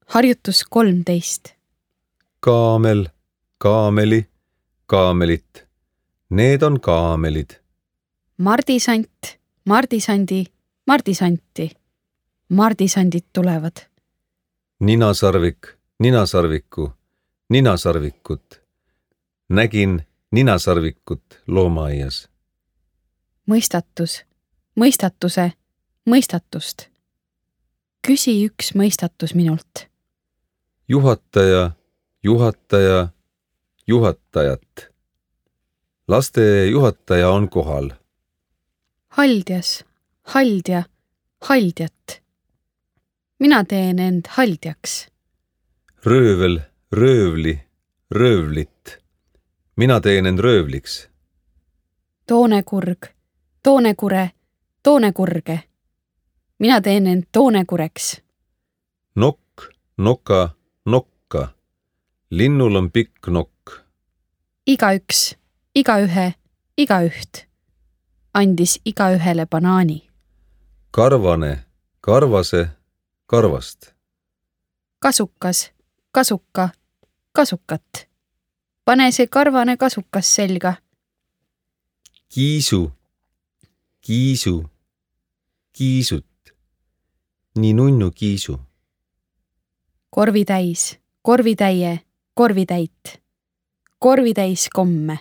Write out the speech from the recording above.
Harjutus 13. Kaamel, kaameli, kaamelit. Need on kaamelid. Mardisant, mardisandi, mardisanti. Mardisandid tulevad. Ninasarvik, ninasarviku, ninasarvikut. Nägin ninasarvikut loomaaias. Mõistatus, mõistatuse, mõistatust. Küsi üks mõistatus minult. Juhataja, juhataja, juhatajat. Laste juhataja on kohal. Haldjas, haldja, haldjat. Mina teen end haldjaks. Röövel, röövli, röövlit. Mina teen end röövliks. Toonekurg, toonekure, toonekurge. Mina teen end toonekureks. Nokk, noka, nokka. Linnul on pikk nokk. Igaüks, igaühe, igaüht. Andis igaühele banaani. Karvane, karvase, karvast. Kasukas, kasuka, kasukat. Pane see karvane kasukas selga. Kiisu, kiisu, kiisut. Nii nunnu kiisu. Korvitäis, korvitäie, korvitäit. Korvitäis komme.